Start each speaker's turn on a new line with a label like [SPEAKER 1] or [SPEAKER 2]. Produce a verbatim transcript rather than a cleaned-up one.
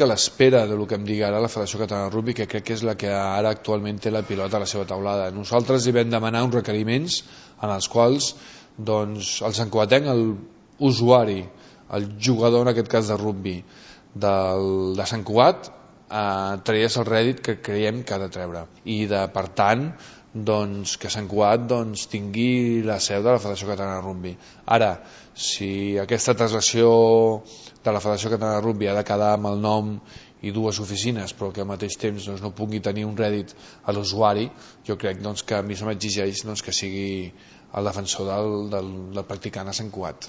[SPEAKER 1] a l'espera del que em digui ara la Federació Catalana de Rugby, que crec que és la que ara actualment té la pilota a la seva taulada. Nosaltres hi vam demanar uns requeriments en els quals doncs, el santcugatenc, l'usuari, el jugador en aquest cas de rugby del, de Sant Cugat, eh, tragués el rèdit que creiem que ha de treure i de, per tant doncs, que Sant Cugat doncs, tingui la seu de la Federació Catalana de Rugby. Ara, si aquesta translació de la Federació Catalana de Rugby ha de quedar amb el nom i dues oficines, però que al mateix temps doncs, no pugui tenir un rèdit a l'usuari, jo crec doncs, que a mi se m'exigeix doncs, que sigui el defensor del, del, del practicant a Sant Cugat.